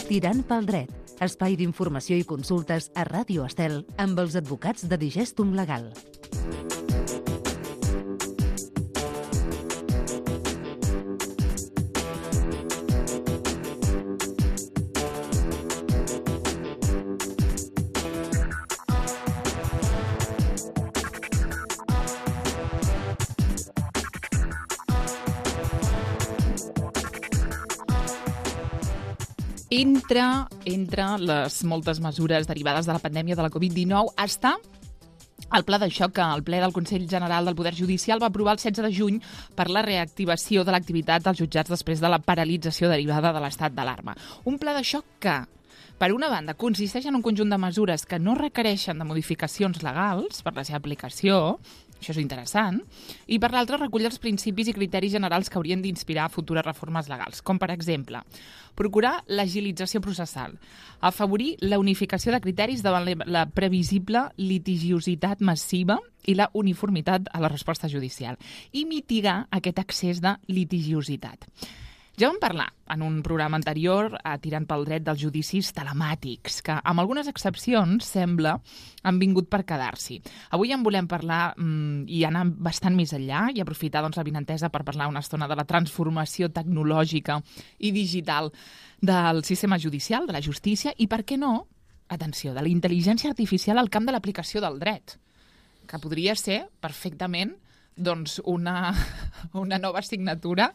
Tirant pel dret, espai d'informació i consultes a Ràdio Estel amb els advocats de Digestum Legal. Entre les moltes mesures derivades de la pandèmia de la Covid-19 està el pla de xoc que el ple del Consell General del Poder Judicial va aprovar el 16 de juny per la reactivació de l'activitat dels jutjats després de la paralització derivada de l'estat d'alarma. Un pla de xoc que, per una banda, consisteix en un conjunt de mesures que no requereixen de modificacions legals per la seva aplicació, això és interessant, i per l'altra recull els principis i criteris generals que haurien d'inspirar futures reformes legals, com per exemple, procurar l'agilització processal, afavorir la unificació de criteris davant la previsible litigiositat massiva i la uniformitat a la resposta judicial, i mitigar aquest excés de litigiositat. Ja vam parlar en un programa anterior, tirant pel dret, dels judicis telemàtics, que amb algunes excepcions, sembla, han vingut per quedar-s'hi. Avui en volem parlar i anar bastant més enllà i aprofitar l'avinentesa per parlar una estona de la transformació tecnològica i digital del sistema judicial, de la justícia, i, per què no, atenció, de la intel·ligència artificial al camp de l'aplicació del dret, que podria ser perfectament doncs una nova assignatura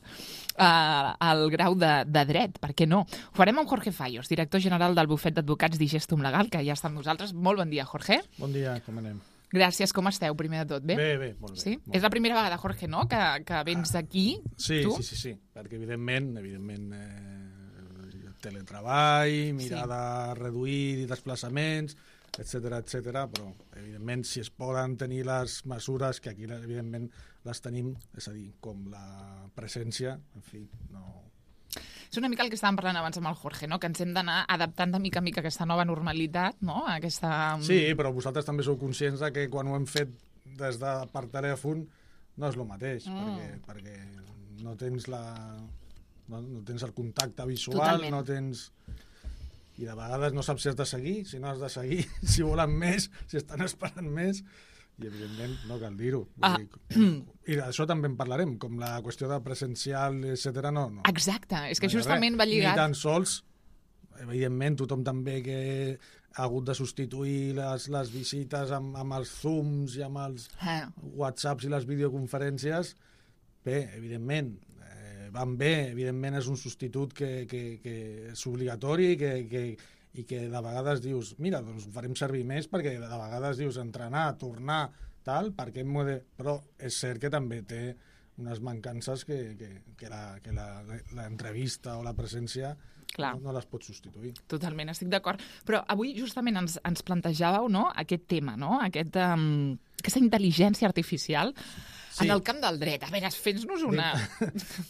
al grau de dret, per què no? Ho farem amb Jorge Fallos, director general del bufet d'advocats Digestum Legal, que ja està amb nosaltres. Molt bon dia, Jorge. Bon dia, com anem? Gràcies, com esteu, primer de tot? Bé? Bé, molt bé. Sí? Molt És la primera vegada, Jorge, no?, que vens aquí, sí, tu? Sí, perquè evidentment teletreball, mirada reduït i desplaçaments, etc, però evidentment si es poden tenir les mesures, que aquí evidentment les tenim, és a dir, com la presència, en fi, no... És una mica el que estàvem parlant abans amb el Jorge, no?, que ens hem d'anar adaptant de mica en mica a aquesta nova normalitat, no?, aquesta... Sí, però vosaltres també sou conscients de que quan ho hem fet des de per telèfon no és el mateix, perquè no tens no tens el contacte visual, totalment. No tens... I de vegades no saps si has de seguir, si no has de seguir, si volen més, si estan esperant més, i evidentment no cal dir-ho. I d'això també en parlarem, com la qüestió de presencial, etc. No. Exacte, és que justament va lligat... Ni tan sols, evidentment, tothom també que ha hagut de substituir les visites amb els Zooms i amb els WhatsApps i les videoconferències, bé, evidentment, van bé, evidentment és un substitut que és obligatori i que de vegades dius, mira, doncs ho farem servir més, perquè de vegades dius entrenar, tornar, tal, perquè però és cert que també té unes mancances que l'entrevista o la presència no les pot substituir. Totalment, estic d'acord. Però avui justament ens plantejàveu, no?, aquest tema, no?, aquesta intel·ligència artificial. Sí. En el camp del dret. A veure, fes-nos una...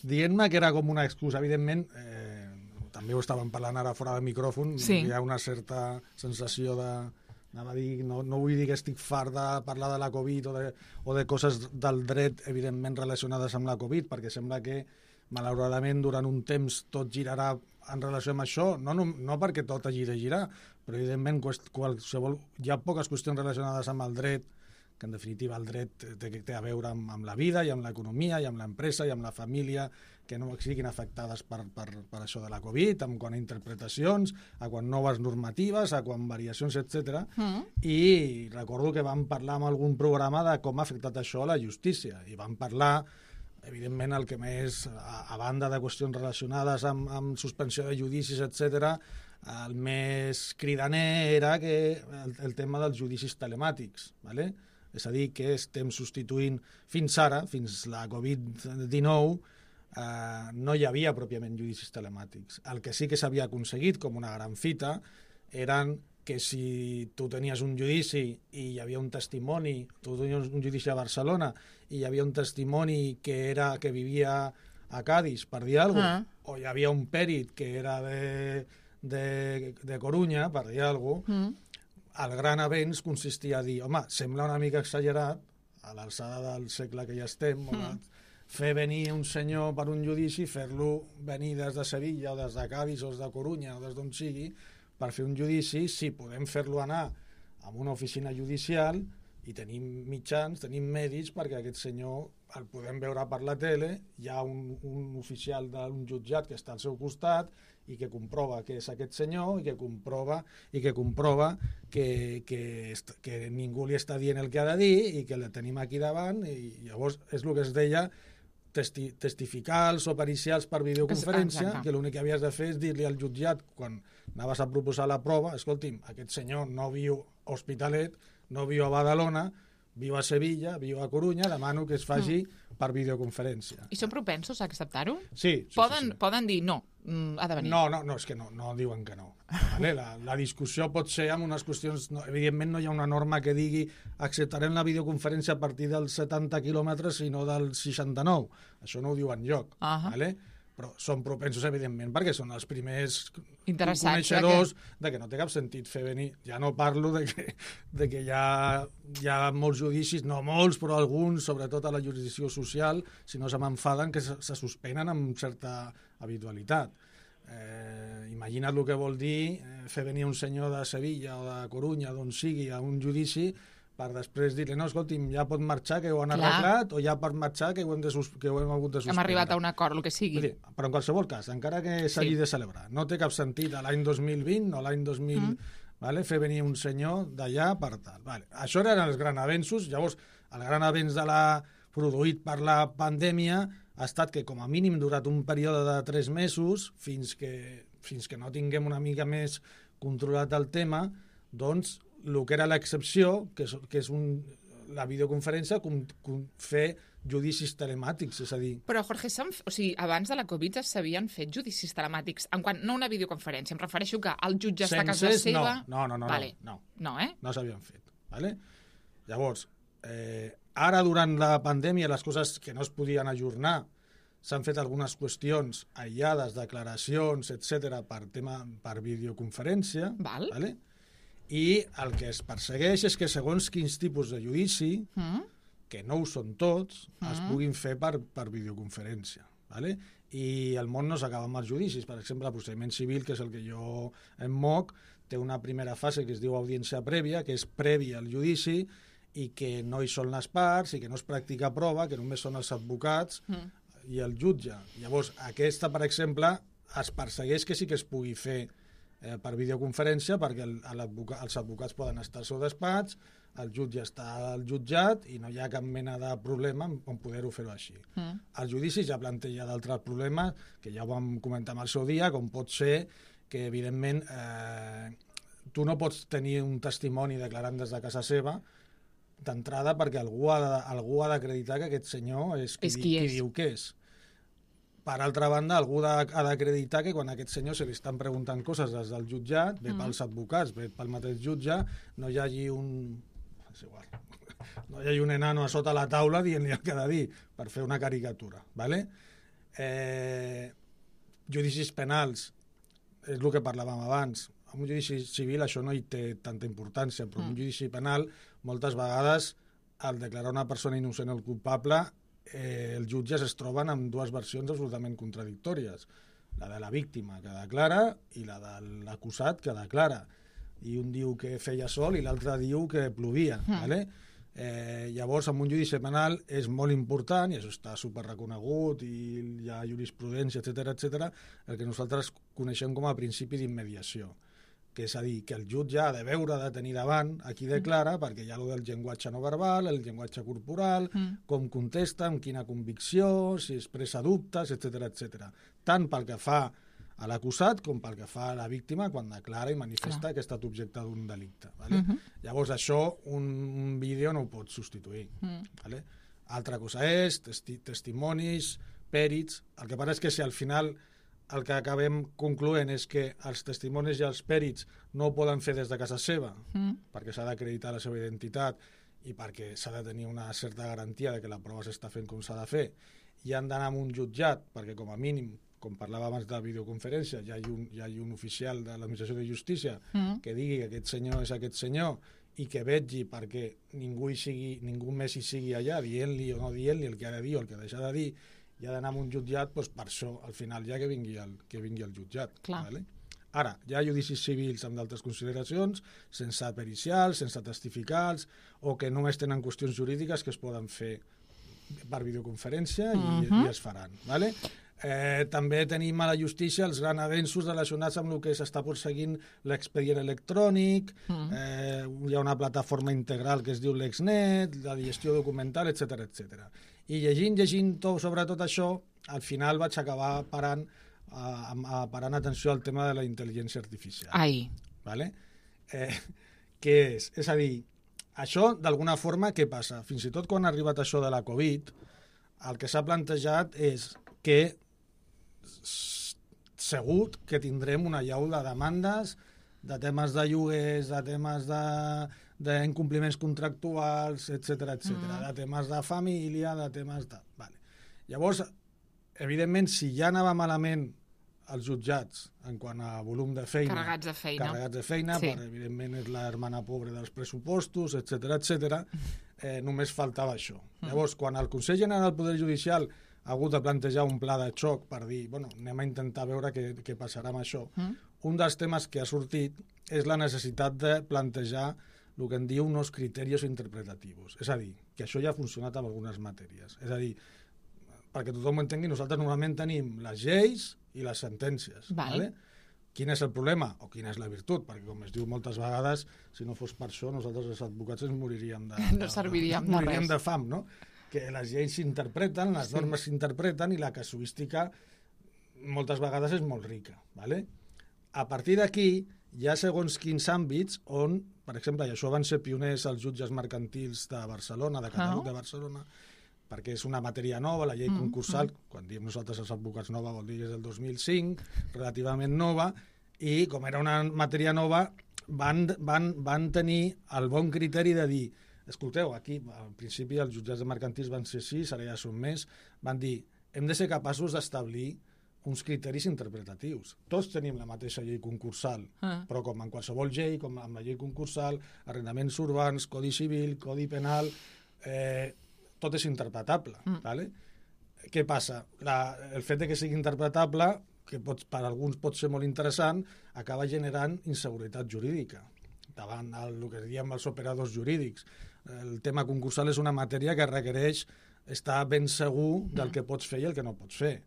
Dient-me que era com una excusa, evidentment, també ho estàvem parlant ara fora de micròfon, sí. Hi ha una certa sensació de... Anava a dir, no vull dir que estic fart de parlar de la Covid o de coses del dret, evidentment, relacionades amb la Covid, perquè sembla que, malauradament, durant un temps tot girarà en relació amb això, no perquè tot hagi de girar, però, evidentment, hi ha poques qüestions relacionades amb el dret, que en definitiva el dret té a veure amb la vida i amb l'economia i amb l'empresa i amb la família, que no siguin afectades per això de la Covid, amb quant a interpretacions, a quant noves normatives, a quant variacions, etc. I recordo que vam parlar en algun programa de com ha afectat això a la justícia, i vam parlar, evidentment, el que més, a banda de qüestions relacionades amb suspensió de judicis, etc., el més cridaner era el tema dels judicis telemàtics, ¿vale? És a dir, que estem substituint fins ara, fins la Covid-19, no hi havia pròpiament judicis telemàtics. El que sí que s'havia aconseguit com una gran fita eren que si tu tenies un judici i hi havia un testimoni, tu tenies un judici a Barcelona i hi havia un testimoni que vivia a Cádiz, per dir alguna cosa, o hi havia un pèrit que era de Corunya, per dir alguna cosa, el gran avenç consistia a dir, home, sembla una mica exagerat, a l'alçada del segle que ja estem, fer venir un senyor per un judici, fer-lo venir des de Sevilla o des de Cádiz o des de Corunya o des d'on sigui per fer un judici, sí, podem fer-lo anar a una oficina judicial i tenim mitjans, tenim mèdics perquè aquest senyor el podem veure per la tele, hi ha un oficial d'un jutjat que està al seu costat i que comprova que és aquest senyor i que comprova que ningú li està dient el que ha de dir i que el tenim aquí davant, i llavors és el que es deia testificals o pericials per videoconferència, que l'únic que havies de fer és dir-li al jutjat quan anaves a proposar la prova, escolti'm, aquest senyor no viu a Hospitalet, no viu a Badalona, viu a Sevilla, viu a Corunya, demano que es faci per videoconferència. I són propensos a acceptar-ho? Sí. Poden dir no, ha de venir. No, és que no diuen que no. Vale? La discussió pot ser amb unes qüestions... No, evidentment no hi ha una norma que digui acceptarem la videoconferència a partir dels 70 quilòmetres i no dels 69. Això no ho diu enlloc. Vale? Però són propensos, evidentment, perquè són els primers coneixedors de que no té cap sentit fer venir. Ja no parlo de que hi ha molts judicis, no molts, però alguns, sobretot a la jurisdicció social, si no se m'enfaden, que se suspenen amb certa habitualitat. Imagina't el que vol dir fer venir un senyor de Sevilla o de Corunya, d'on sigui, a un judici, per després dir-li, no, escolti'm, ja pot marxar, que ho han arreglat, o ja pot marxar, que ho hem hagut de suspendre. Hem arribat a un acord, el que sigui. Dir, però en qualsevol cas, encara que s'hagi de celebrar, no té cap sentit a l'any 2020 o l'any 2000, vale, fer venir un senyor d'allà per tal. Vale. Això eren els grans avenços. Llavors, el gran avenç produït per la pandèmia ha estat que, com a mínim, durat un període de 3 mesos, fins que no tinguem una mica més controlat el tema, doncs, el que era l'excepció, que és la videoconferència, fer judicis telemàtics, és a dir... Però, Jorge, abans de la Covid s'havien fet judicis telemàtics, no una videoconferència, em refereixo que el jutge està a casa seva... No, vale. No, no s'havien fet. Vale? Llavors, ara, durant la pandèmia, les coses que no es podien ajornar, s'han fet algunes qüestions aïllades, declaracions, etc per videoconferència, vale? I el que es persegueix és que segons quins tipus de judici, que no ho són tots, es puguin fer per videoconferència. Vale? I el món no s'acaba amb els judicis. Per exemple, el procediment civil, que és el que jo em moc, té una primera fase que es diu audiència prèvia, que és prèvia al judici, i que no hi són les parts, i que no es practica prova, que només són els advocats i el jutge. Llavors, aquesta, per exemple, es persegueix que sí que es pugui fer per videoconferència, perquè els advocats poden estar al seu despatx, el jutge està al jutjat i no hi ha cap mena de problema en poder-ho fer-ho així. El judici ja planteja d'altres problemes, que ja ho vam comentar el seu dia, com pot ser que, evidentment, tu no pots tenir un testimoni declarant des de casa seva d'entrada perquè algú ha d'acreditar que aquest senyor és qui diu que és. Per altra banda, algú ha d'acreditar que quan a aquest senyor se li estan preguntant coses des del jutjat, bé pels advocats, bé pel mateix jutge, no hi hagi un enano a sota la taula dient-li el que ha de dir, per fer una caricatura. Vale? Judicis penals, és el que parlàvem abans. En un judici civil això no hi té tanta importància, però en un judici penal, moltes vegades, al declarar una persona innocent o culpable, els jutges es troben amb dues versions absolutament contradictòries, la de la víctima que declara i la de l'acusat que declara, i un diu que feia sol i l'altre diu que plovia. Vale? Llavors, en un judici penal és molt important, i això està superreconegut i hi ha jurisprudència, etc, el que nosaltres coneixem com a principi d'immediació, que és a dir, que el jutge ha de veure, de tenir davant a qui declara, perquè hi ha el llenguatge no verbal, el llenguatge corporal, com contesta, amb quina convicció, si expressa dubtes, etc. Tant pel que fa a l'acusat com pel que fa a la víctima quan declara i manifesta que ha estat objecte d'un delicte. Vale? Llavors, això un vídeo no ho pot substituir. Vale? Altra cosa és testimonis, pèrits. El que passa és que si al final el que acabem concloent és que els testimonis i els pèrits no ho poden fer des de casa seva, perquè s'ha d'acreditar la seva identitat i perquè s'ha de tenir una certa garantia de que la prova s'està fent com s'ha de fer, i han d'anar a un jutjat, perquè com a mínim, com parlava abans de videoconferència, hi ha un oficial de l'administració de justícia que digui que aquest senyor és aquest senyor i que vetgi perquè ningú més hi sigui allà dient-li o no dient-li el que ha de dir o el que deixa de dir, i ha d'anar a un jutjat, doncs per això, al final, ja que vingui el jutjat. Vale? Ara, hi ha judicis civils amb d'altres consideracions, sense pericials, sense testificals, o que només tenen qüestions jurídiques que es poden fer per videoconferència i es faran. Vale? També tenim a la justícia els grans avenços relacionats amb el que s'està perseguint l'expedient electrònic, hi ha una plataforma integral que es diu l'Exnet, la gestió documental, etc etc. I llegint sobre tot això, al final vaig acabar parant atenció al tema de la intel·ligència artificial. Vale? Què és? És a dir, això, d'alguna forma, què passa? Fins i tot quan ha arribat això de la Covid, el que s'ha plantejat és que segur que tindrem una llau de demandes de temes de lloguers, de temes d'incompliments contractuals, etc de temes de família, de temes de... Vale. Llavors, evidentment, si ja anava malament els jutjats en quant a volum de feina... Carregats de feina, sí. Perquè evidentment és la hermana pobra dels pressupostos, etc, només faltava això. Llavors, quan el Consell General del Poder Judicial ha hagut de plantejar un pla de xoc per dir, bueno, anem a intentar veure què passarà amb això, un dels temes que ha sortit és la necessitat de plantejar el que en diu uns criteris interpretatius. És a dir, que això ja ha funcionat en algunes matèries. És a dir, perquè tothom ho entengui, nosaltres normalment tenim les lleis i les sentències. Vale? Quin és el problema? O quina és la virtut? Perquè, com es diu moltes vegades, si no fos per això, nosaltres els advocats ens moriríem de fam, no? Que les lleis s'interpreten, les normes s'interpreten i la casuística moltes vegades és molt rica. Vale? A partir d'aquí hi ha segons quins àmbits on, per exemple, i això van ser pioners els jutges mercantils de Barcelona, de Catalunya, de Barcelona, perquè és una matèria nova, la llei concursal, quan diem nosaltres els advocats nova vol dir que és del 2005, relativament nova, i com era una matèria nova, van tenir el bon criteri de dir, escolteu, aquí, al principi els jutjats de mercantils van ser 6, ara ja són més, van dir, hem de ser capaços d'establir uns criteris interpretatius. Tots tenim la mateixa llei concursal, però com en qualsevol llei, com amb la llei concursal, arrendaments urbans, codi civil, codi penal, tot és interpretable. Vale? Què passa? El fet que sigui interpretable, que per alguns pot ser molt interessant, acaba generant inseguretat jurídica davant el que diem els operadors jurídics. El tema concursal és una matèria que requereix estar ben segur del que pots fer i el que no pots fer.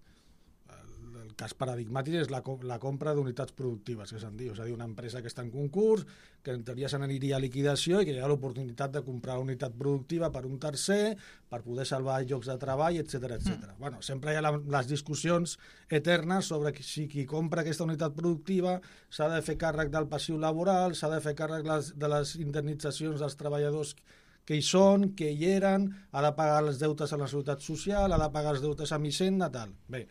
El cas paradigmàtic és la compra d'unitats productives, que se'n diu. És a dir, una empresa que està en concurs, que en teoria se n'aniria a liquidació i que hi ha l'oportunitat de comprar una unitat productiva per un tercer, per poder salvar llocs de treball, etc. Bueno, sempre hi ha les discussions eternes sobre si qui compra aquesta unitat productiva s'ha de fer càrrec del passiu laboral, s'ha de fer càrrec de les indemnitzacions dels treballadors que hi són, que hi eren, ha de pagar els deutes a la Seguretat Social, ha de pagar els deutes a Hisenda, tal. Bé,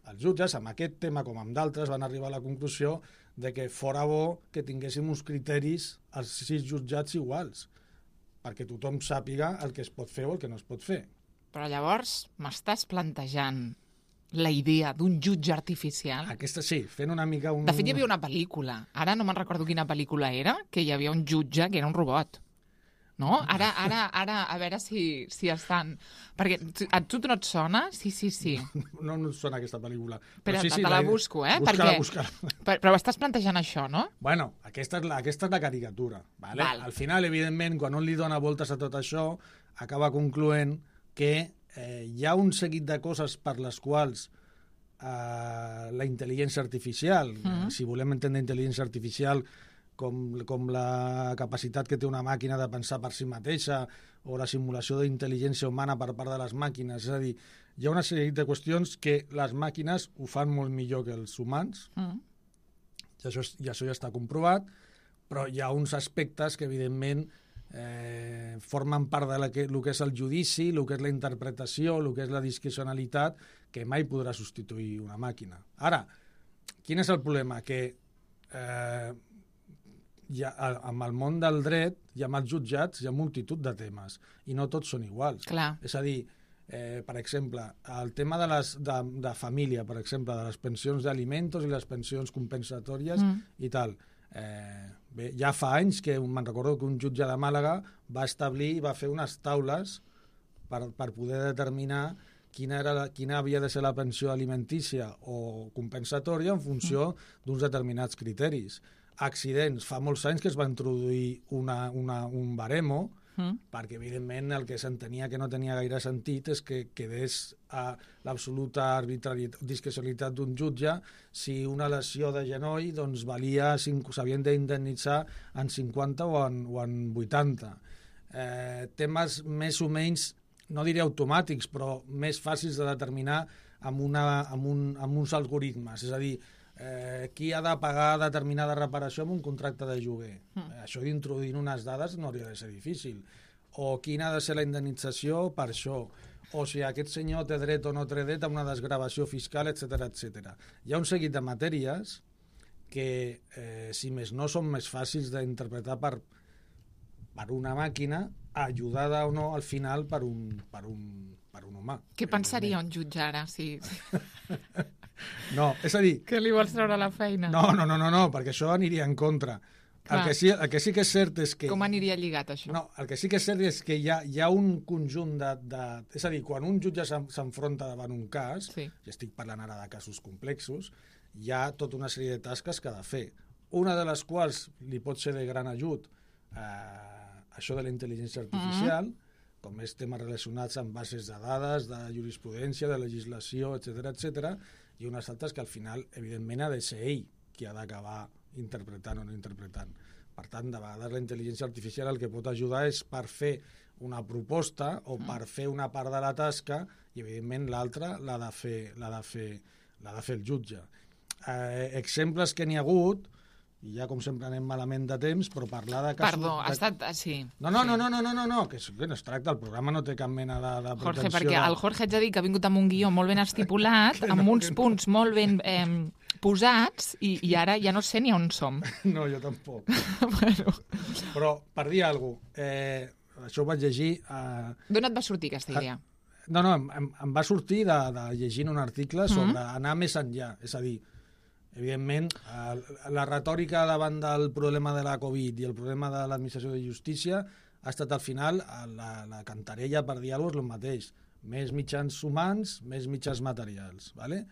els jutges, amb aquest tema com amb d'altres, van arribar a la conclusió de que fora bo que tinguéssim uns criteris als 6 jutjats iguals, perquè tothom sàpiga el que es pot fer o el que no es pot fer. Però llavors m'estàs plantejant la idea d'un jutge artificial? Aquesta sí, fent una mica un... De fet, hi havia una pel·lícula, ara no me'n recordo quina pel·lícula era, que hi havia un jutge que era un robot. No? Ara, a veure si estan... Perquè a tu no et sona? Sí. No em sona aquesta pel·lícula. Però sí, te la busco, Busca-la. Però estàs plantejant això, no? Bueno, aquesta és la caricatura. Vale? Al final, evidentment, quan un li dona voltes a tot això, acaba concloent que hi ha un seguit de coses per les quals la intel·ligència artificial, si volem entendre intel·ligència artificial com la capacitat que té una màquina de pensar per si mateixa o la simulació d'intel·ligència humana per part de les màquines. És a dir, hi ha una sèrie de qüestions que les màquines ho fan molt millor que els humans, i això ja està comprovat, però hi ha uns aspectes que, evidentment, formen part de el que és el judici, el que és la interpretació, el que és la discrecionalitat, que mai podrà substituir una màquina. Ara, quin és el problema? Que amb el món del dret i amb els jutjats hi ha multitud de temes i no tots són iguals. Clar. És a dir, per exemple, el tema de família, per exemple, de les pensions d'alimentos i les pensions compensatòries i tal. Bé, ja fa anys que me'n recordo que un jutge de Màlaga va establir i va fer unes taules per poder determinar quina havia de ser la pensió alimentícia o compensatòria en funció d'uns determinats criteris. Accidents. Fa molts anys que es va introduir un baremo perquè, evidentment, el que s'entenia que no tenia gaire sentit és que quedés a l'absoluta discrecionalitat d'un jutge si una lesió de genoll doncs, s'havien d'indemnitzar en 50 o en 80. Temes més o menys, no diré automàtics, però més fàcils de determinar amb uns algoritmes. És a dir, qui ha de pagar determinada reparació amb un contracte de lloguer. Això d'introduir unes dades no hauria de ser difícil. O quina ha de ser la indemnització per això. O si aquest senyor té dret o no té dret a una desgravació fiscal, etc. Hi ha un seguit de matèries que, si més no, són més fàcils d'interpretar per una màquina, ajudada o no al final per un humà. Què pensaria un jutge ara? Sí. No, és a dir... Que li vols treure la feina? No, perquè això aniria en contra. El que sí que és cert és que... Com aniria lligat, això? No, el que sí que és cert és que hi ha un conjunt és a dir, quan un jutge s'enfronta davant un cas, i estic parlant ara de casos complexos, hi ha tota una sèrie de tasques que ha de fer. Una de les quals li pot ser de gran ajut això de la intel·ligència artificial, com més temes relacionats amb bases de dades, de jurisprudència, de legislació, etc., i unes altres que al final, evidentment, ha de ser ell qui ha d'acabar interpretant o no interpretant. Per tant, de vegades la intel·ligència artificial el que pot ajudar és per fer una proposta o per fer una part de la tasca i, evidentment, l'altra l'ha de fer el jutge. Exemples que n'hi ha hagut, i ja com sempre anem malament de temps, però parlar de casos... Perdó, ha estat... Sí. No, que no es tracta, el programa no té cap mena de pretensió... Jorge, perquè el Jorge haig de dir que ha vingut amb un guió molt ben estipulat, amb uns punts molt ben posats, i ara ja no sé ni on som. No, jo tampoc. Bueno. Però, per dir alguna cosa, això ho vaig llegir... D'on et va sortir aquesta idea? No, em va sortir de llegint un article sobre anar més enllà, és a dir, evidentment, la retòrica davant del problema de la Covid i el problema de l'administració de justícia ha estat al final la cantarella per dir alguna cosa, el mateix. Més mitjans humans, més mitjans materials. ¿vale?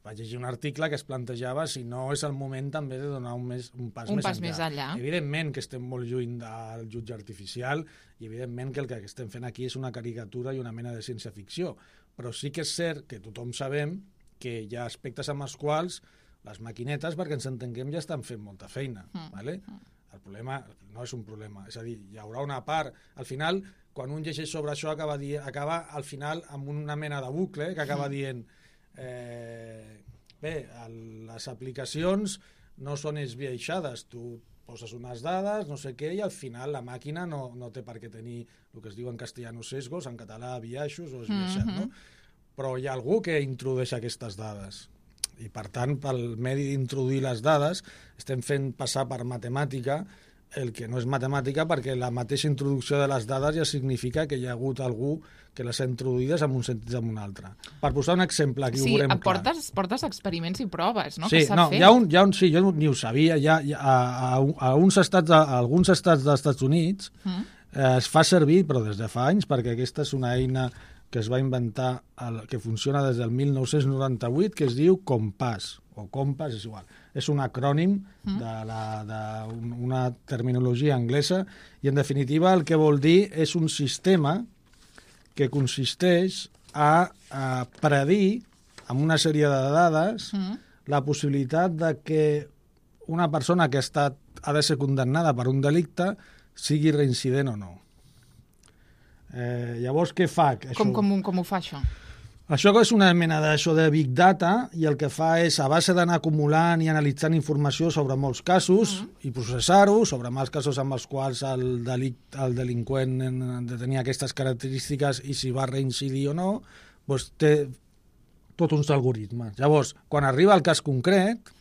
Vaig llegir un article que es plantejava si no és el moment també de donar un pas més enllà. Evidentment que estem molt lluny del jutge artificial i evidentment que el que estem fent aquí és una caricatura i una mena de ciència-ficció. Però sí que és cert que tothom sabem que hi ha aspectes amb els quals les maquinetes, perquè ens entenguem, ja estan fent molta feina. ¿vale? El problema no és un problema. És a dir, hi haurà una part... Al final, quan un llegeix sobre això, acaba al final amb una mena de bucle que acaba dient bé, les aplicacions no són esbiaixades. Tu poses unes dades, no sé què, i al final la màquina no té per què tenir el que es diu en castellano sesgos, en català biaixos o esbiaixat. No? Però hi ha algú que introdueix aquestes dades. I, per tant, pel medi d'introduir les dades, estem fent passar per matemàtica el que no és matemàtica perquè la mateixa introducció de les dades ja significa que hi ha hagut algú que les ha introduïdes en un sentit o en un altre. Per posar un exemple, aquí ho veurem clar. Portes experiments i proves, no? Sí, que s'ha fet. Jo ni ho sabia. A alguns estats dels Estats Units es fa servir, però des de fa anys, perquè aquesta és una eina que es va inventar, que funciona des del 1998, que es diu Compass, o Compass, és igual. És un acrònim d'una terminologia anglesa i, en definitiva, el que vol dir és un sistema que consisteix a predir, amb una sèrie de dades, la possibilitat de que una persona que ha de ser condemnada per un delicte sigui reincident o no. Llavors, què fa? Com ho fa, això? Això és una mena de Big Data i el que fa és, a base d'anar acumulant i analitzant informació sobre molts casos i processar-ho, sobre els casos amb els quals el delinqüent ha de tenir aquestes característiques i si va reincidir o no, doncs té tots uns algoritmes. Llavors, quan arriba al cas concret,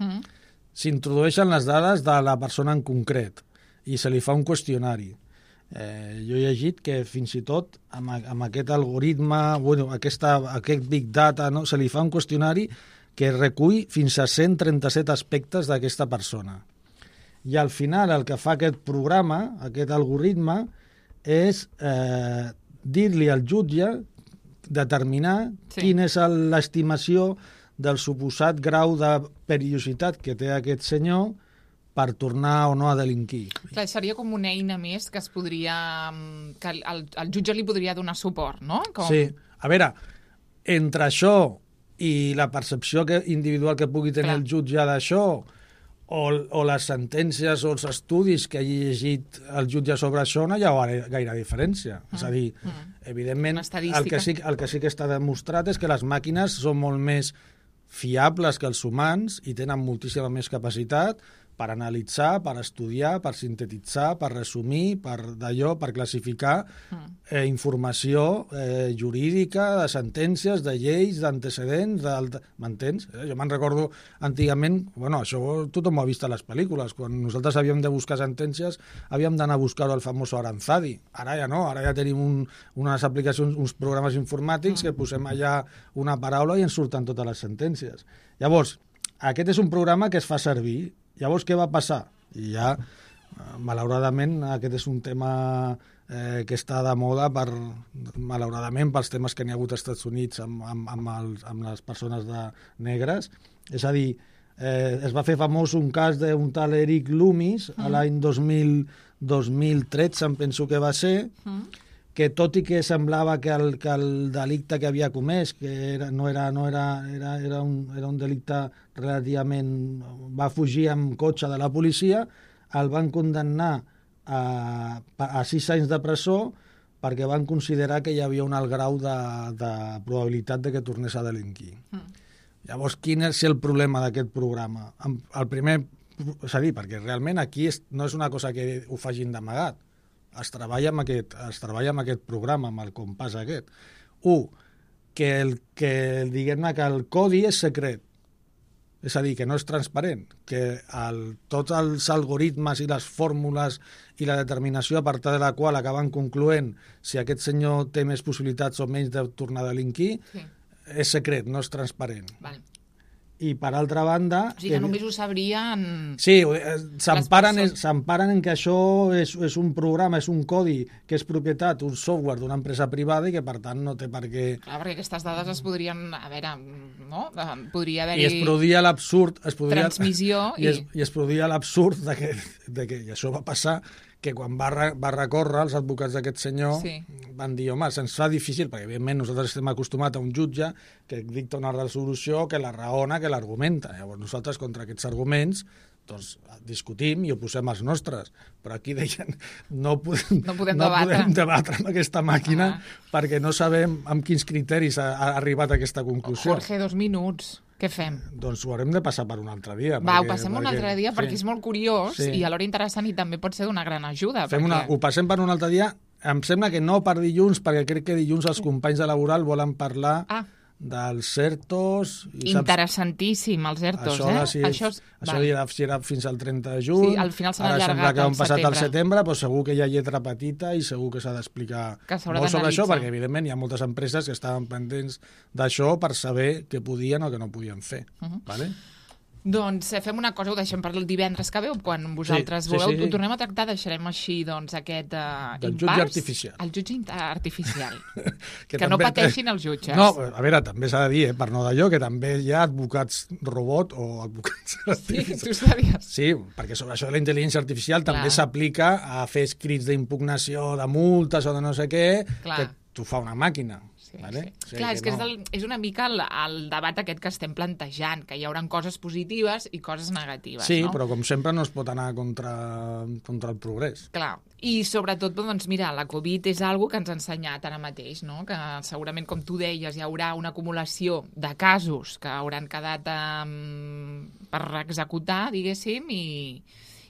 s'introdueixen les dades de la persona en concret i se li fa un qüestionari. Jo he llegit que fins i tot amb aquest algoritme, aquest Big Data, no, se li fa un qüestionari que recull fins a 137 aspectes d'aquesta persona. I al final el que fa aquest programa, aquest algoritme, és dir-li al jutge determinar quina és l'estimació del suposat grau de perillositat que té aquest senyor per tornar o no a delinquir. Clar, seria com una eina més que es podria... que el jutge li podria donar suport, no? Sí. A veure, entre això i la percepció individual que pugui tenir el jutge d'això, o les sentències o els estudis que hagi llegit el jutge sobre això, no hi ha gaire diferència. És a dir, evidentment, el que sí que està demostrat és que les màquines són molt més fiables que els humans i tenen moltíssima més capacitat per analitzar, per estudiar, per sintetitzar, per resumir, per classificar informació jurídica, de sentències, de lleis, d'antecedents, m'entens? Jo me'n recordo antigament, això tothom ho ha vist a les pel·lícules, quan nosaltres havíem de buscar sentències havíem d'anar a buscar el famós Aranzadi. Ara ja no, ara ja tenim unes aplicacions, uns programes informàtics que posem allà una paraula i ens surten totes les sentències. Llavors, aquest és un programa que es fa servir. Llavors, què va passar? I ja, malauradament, aquest és un tema que està de moda, malauradament, pels temes que n'hi ha hagut als Estats Units amb les persones negres. És a dir, es va fer famós un cas d'un tal Eric Loomis a l'any 2013, em penso que va ser, que tot i que semblava que el delicte que havia comès, que era un delicte relativament... va fugir amb cotxe de la policia, el van condemnar a 6 anys de presó perquè van considerar que hi havia un alt grau de probabilitat de que tornés a delinquir. Llavors, quin és el problema d'aquest programa? El primer, és a dir, perquè realment aquí no és una cosa que ho facin d'amagat. Es treballa amb aquest programa, amb el compàs aquest. Diguem-ne que el codi és secret, és a dir, que no és transparent, que tots els algoritmes i les fórmules i la determinació a partir de la qual acaben concloent si aquest senyor té més possibilitats o menys de tornar a delinquir, és secret, no és transparent. Vale. I per altra banda... O sigui que només ho sabrien... Sí, s'emparen en que això és un programa, és un codi que és propietat, un software d'una empresa privada i que per tant no té per què... Clar, perquè aquestes dades es podrien... A veure, no? Podria haver-hi... I es produïa l'absurd... Transmissió i es produïa l'absurd de que i això va passar, que quan va recórrer els advocats d'aquest senyor van dir, home, se'ns fa difícil, perquè evidentment nosaltres estem acostumats a un jutge que dicta una resolució, que la raona, que l'argumenta. Llavors nosaltres contra aquests arguments doncs discutim i oposem els nostres, però aquí deien no podem debatre amb aquesta màquina perquè no sabem amb quins criteris ha arribat a aquesta conclusió. Jorge, 2 minuts. Què fem? Doncs ho haurem de passar per un altre dia. Ho passem un altre dia perquè és molt curiós i alhora interessant i també pot ser d'una gran ajuda. Ho passem per un altre dia. Em sembla que no per dilluns, perquè crec que dilluns els companys de Laboral volen parlar dels ERTOs... Interessantíssim, els ERTOs, Això era fins al 30 de juny. Sí, al final s'han allargat al setembre. Ara sembla que han passat al setembre, però segur que hi ha lletra petita i segur que s'ha d'explicar molt sobre això, perquè evidentment hi ha moltes empreses que estaven pendents d'això per saber què podien o què no podien fer. Vale? Doncs fem una cosa, ho deixem per el divendres que veu, quan vosaltres vulgueu. Ho tornem a tractar, deixarem així aquest del jutge artificial. El jutge artificial. que no pateixin els jutges. No, a veure, també s'ha de dir, per no d'allò, que també hi ha advocats robot o advocats artificials. Sí, tu sabies. Sí, perquè sobre això de la intel·ligència artificial també s'aplica a fer escrits d'impugnació, de multes o de no sé què, que t'ho fa una màquina. Vale? Sí. Clar, és una mica el debat aquest que estem plantejant, que hi haurà coses positives i coses negatives. Sí, no? Però com sempre no es pot anar contra el progrés. Clar, i sobretot, doncs mira, la Covid és algo que ens ha ensenyat ara mateix, no? Que segurament, com tu deies, hi haurà una acumulació de casos que hauran quedat per executar, diguéssim, i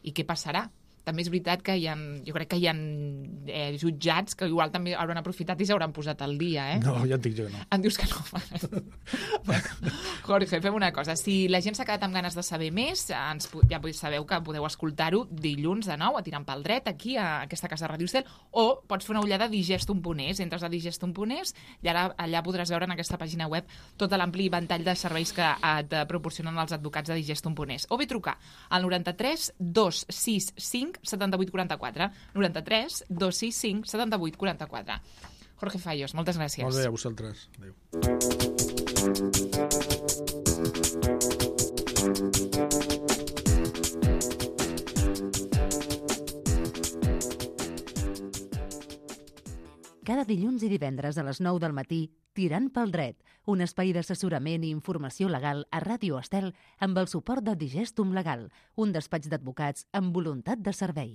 què passarà? També és veritat que jo crec que hi ha jutjats que igual també hauran aprofitat i s'hauran posat al dia, No, ja et dic jo que no. Em dius que no. Jorge, fem una cosa. Si la gent s'ha quedat amb ganes de saber més, ja sabeu que podeu escoltar-ho dilluns de nou, a Tirant pel Dret, aquí a aquesta casa de Ràdio Estel, o pots fer una ullada a digestum.es. Entres a digestum.es i ara allà podràs veure en aquesta pàgina web tot l'ampli ventall de serveis que et proporcionen els advocats de digestum.es. O bé trucar al 93 265 78 44. 93 265 78 44. Jorge Fallos, moltes gràcies. Molt bé, a vosaltres. Adéu. Cada dilluns i divendres a les 9 del matí, Tirant pel Dret, un espai d'assessorament i informació legal a Ràdio Estel amb el suport de Digestum Legal, un despatx d'advocats amb voluntat de servei.